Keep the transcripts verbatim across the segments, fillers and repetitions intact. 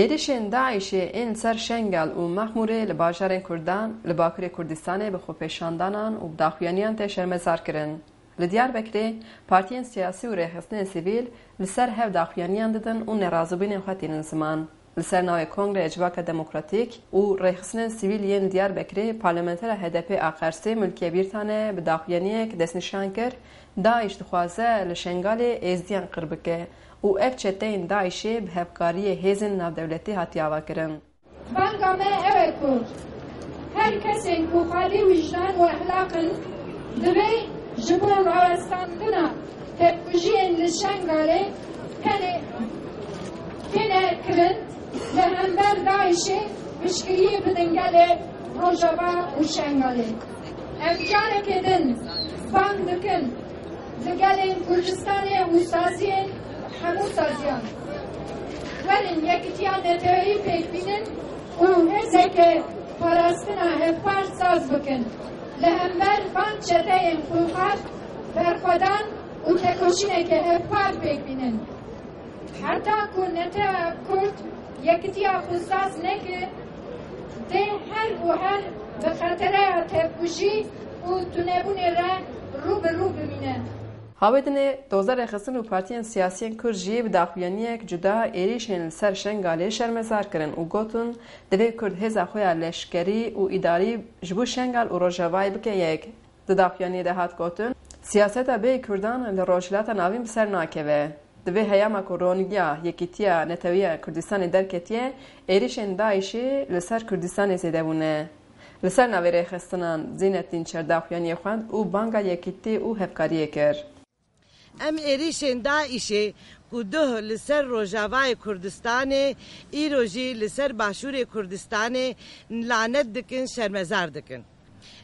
Êrişên DAIŞê ên li ser Şengal û Mexmûrê li bajarên Kurdan li Bakurê Kurdistanê bi xwepêşandanan û bi daxuyaniyan tê şermezar kirin. Li Diyarbekirê partiyên siyasî û rêxistinên sivîl li ser hev daxuyaniyan didin û nerazîbûnên xwe tînin ziman. Li ser navê Kongreya Civaka Demokratîk û Rêxistinên Sivîl yên Diyarbekirê parlamentera H D P a Qersê Mulkiye Bîrtane bi daxuyaniyek destnîşan kir, DAIŞ dixwaze li Şengalê Êzidiyan qir bike û ev çeteyên DAIŞê bi hevkariyê hêzên navdewletî hatiye avakirin. Banga me ew e ku her kesên ku xalî wijdan û exlaq in, divê ji bo rawestandina tevkujiyên li Şengalê tenê têne kirin, li hember DAIŞê piştgiriyê bidin gelê Rojava û Şengalê. Em careke din bang dikin li gelên Kurdistanê û saziyên hemû saziyan. Werin yekitiya neteweyî pêk bînin û hêzeke parastina hevpar saz bikin. Li hember van çeteyên xurxar berxwedan û tekoşîneke hevpar pêk bînin. Heta ku netewa Kurd yekitiya xwe saz neke, dê her û her bi xetereya tevkujî û tunebûnê re rû bi rû bimîne. Hawê dinê dozdeh rêxistin û partiyên siyasiyên Kurd jî bi daxuyaniyek cuda êrîşên li ser Şengalê şermezar kirin û gotin, divê Kurd hêza xwe ya leşkerî û îdarî ji bo Şengal û Rojavayê bike yek. Di daxuyaniyê de hat gotin, siyaseta bêyî Kurdan li Rojhilata Navîn bi ser nakeve. Di vê heyama ku ronîgiya Yekîtiya Netewî ya Kurdistanê derketiye, êrîşên DAIŞê li ser Kurdistanê zêde bûne. Li ser navê rêxistinan Zînet Dînçer daxuyaniyê xwend û banga yekîtî û hevkariyê kir. Em êrîşên DAIŞê ku duh li ser Rojavayê Kurdistanê, îro jî li ser Başûrê Kurdistanê lanet dikin, şermezar dikin.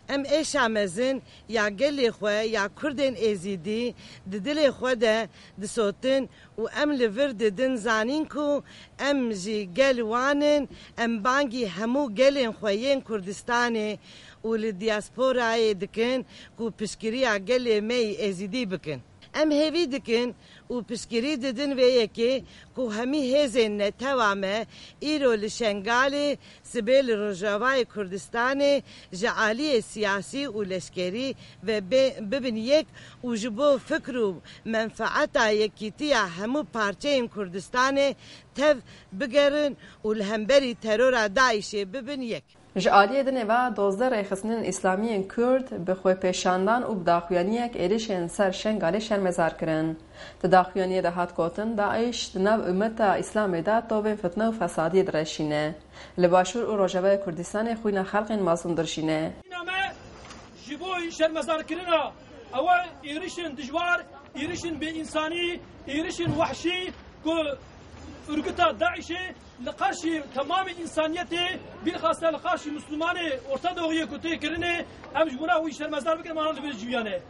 Em êşa mezin ya gelê xwe ya Kurdên Êzîdî di dilê xwe de disotin û em li vir didin zanîn ku em jî gel wan in, em bangî hemû gelên xwe yên Kurdistanê û li diasporayê dikin ku piştgiriya gelê me yî Êzîdî bikin. Em hêvî dikin û piştgirî didin vê yekê ku hemî hêzên netewa me îro li Şengalê, sibê li Rojavayê Kurdistanê ji aliyê siyasî û leşkerî ve bê-, bibin yek û ji bo fikr û menfaeta yekîtiya hemû parçeyên Kurdistanê tev bigerin û li hemberî terora DAIŞê bibin yek. Ji aliyê dinê ve dozdeh rêxistinên îslamî yên Kurd bi xwepêşandan û bi daxuyaniyek êrîşên ser Şengalê şermezar kirin. Di daxuyaniyê de hat gotin, DAIŞ di nav ummeta Îslamê de tovên fitne û fesadiyê direşîne. Li Başûr û Rojavayê Kurdistanê xwîna xelkên mazlûm dirşîne. Name ji bo şermezarkirina ew êrişên dijwar, êrişên bêînsanî, êrişên wehşî ku örgüta DAIŞê li qarşî temamê însaniyetê, bilxasa li qarşî Mislimanê Orta Doğuyê ku tê kirinê, em ji bona wî şermezar bikin, em li vê civiyane.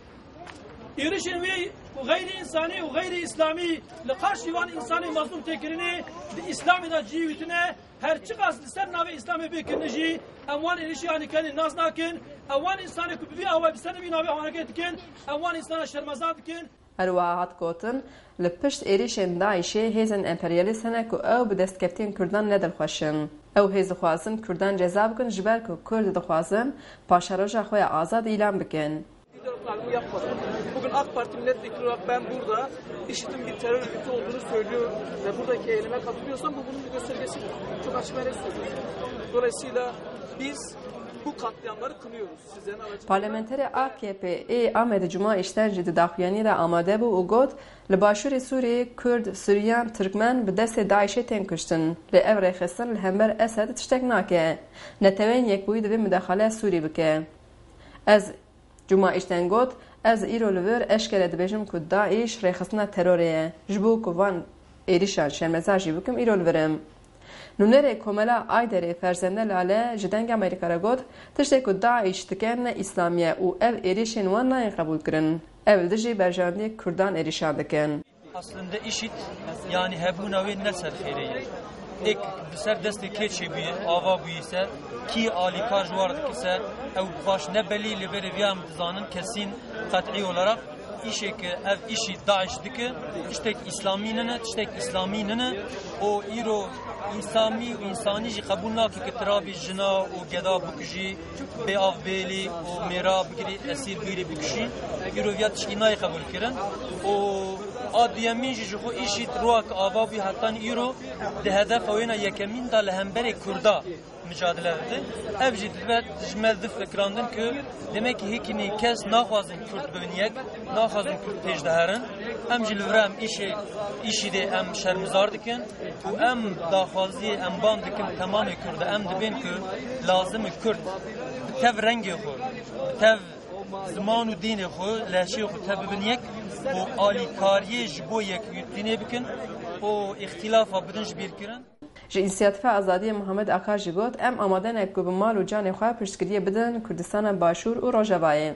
Êrişên wî û xeyrî însanî û xeyrî îslamî li qarşî van însanê mazlûm tê kirinê, di Îslamê de cihê wî tune, her çiqas li ser navê Îslamê bê kirine jî, em wan êrişî anî kenê nas nakin, em wan însanê ku bi vî awayî bi ser vî navê hareket dikin, em wan însana şermezar dikin. Her wiha hat gotin, li pişt êrîşên DAIŞê hêzên emperyalîst hene ku ew bi destkeftiyên Kurdan ne dilxweş in. Ew hêz dixwazin Kurdan ceza bikin, ji ber ku Kurd dixwazin paşeroja xwe ya azad îlan bikin. Lider olarak bunu yapmadı. Bugün AK Parti milletvekili olarak ben burada IŞİD'in bir terör örgütü olduğunu söylüyor ve buradaki eyleme katılıyorsam bu bunun bir göstergesidir. Çok açık ve net söylüyorum. Dolayısıyla biz bu katliamları kınıyoruz. Parlamenterê A K P ê Amedê Cuma Îşten jî di daxuyaniyê de amade bû û got, li başûrê Sûriyê Kurd, Suryan, Tirkmen bi destê DAIŞê tên kuştin. Lê ev rêxistin li hember Esed tiştek nake. Neteweyên Yekbûyî divê mudaxale Sûrî bike. Ez, Cuma Îşten got, ez îro li vir eşkere dibêjim ku DAIŞ rêxistina terorê ye. Ji bo ku van êrîşan şermezar jî bikim, îro li vir im. Nûnerê Komela Ayderê Ferzende Lale ji Dengê Amerîka re got, tiştê ku DAIŞ dike ne îslamî ye û ev êrîşên wan nayên qebûlkirin. Ev li dijî berjewendiyê Kurdan êrîşan dikin. Aslında IŞİD, yani hebûna wê ne ser xêrê ye. Êk bi ser destê kê çêbûye, ava bûye se, kî alîkar ji war dike se, ew baş ne belî, lê berê vîya em dizanin kesîn qet'î olarak Îşê ke ev îşî DAIŞ dike, tiştek îslamî nine, tiştek îslamî nine û îro Însanî û însanî jî qebûl nake ke tu rabî jina û geda bikujî, bê av bêlî û mêra bigirî, esîr bigirî bikuşî. Îro viya tişkî nayê qebûl kirin. Û a duyemîn jî ji xwe îşî roa ke ava bû hetan îro di hedefa wêna yekemîn de li hemberê Kurda micadele dide. Ev jî dibe ji me di fikirandin ku demek ki hikînî kes naxwazin Kurd bibin yek, naxwazin Kurd pêş de herin. Em jî li vir em îşê, îşî dê em şermizar dikin û em daxwaziyê em ban dikin temamê Kurd em dibên ku lazim e Kurd bi tev rengê xwe, bi tev ziman û dînê xwe, lehçeyê xwe tev bibin yek û alîkariyê ji bo yekîtînê bikin û îxtîlafa bidin ji bîr kirin. Ji Însiyatîfa Azadiyê Muhammed Akar jî got, em amade ne ku bi mal û canê xwe piştgiriyê bidin Kurdistana Başûr û Rojavayê.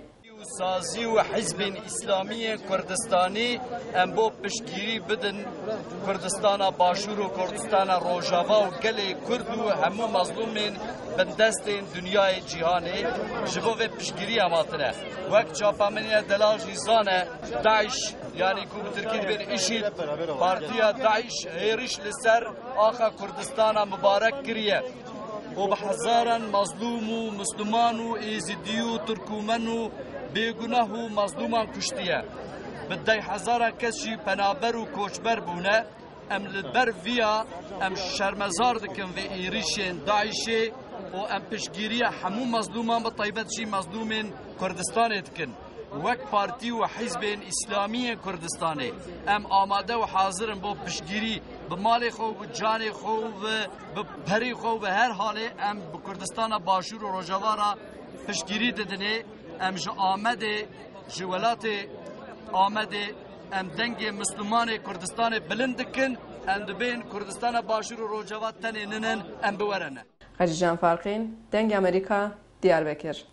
Sazî û hizbên Îslamî yên Kurdistanî em bo piştgirî bidin Kurdistana Başûr û Kurdistana Rojava û gelê Kurd û hemû mezlûmên bindestên dinyayê cîhanê ji bo vê piştgirî em hatine. Wek çapemeniya delal jî zane, DAIŞ, yanî ku bi tirkî dibên IŞİD, partiya DAIŞ hêriş li ser axa Kurdistana mibarek kiriye û bi hezaran mazlûm û misliman û êzidî û tirkûmen û bêgunah û mazlûman kuştiye. Bi deh hezaran kes jî penaber û koçber bûne. Em li ber viya em şermezar dikin vê êrîşên DAIŞê û em piştgiriya hemû mazlûman, bi taybet jî mazlûmên Kurdistanê dikin. Wek partî û hizbên Îslamî yên Kurdistanê em amade û hazir in bo piştgirî bi malê xwe û bi canê xwe û bi, bi perê xwe û bi her halê em bi Kurdistana Başûr û Rojava re piştgirî didinê. Em ji Amedê, ji welatê Amedê em dengê Mislimanê Kurdistanê bilind dikin. Em dibên Kurdistana Başûr û Rojava tenê ninin, em biwerene. Xecîcan Farqîn, Dengê Amerîka, Diyarbekir.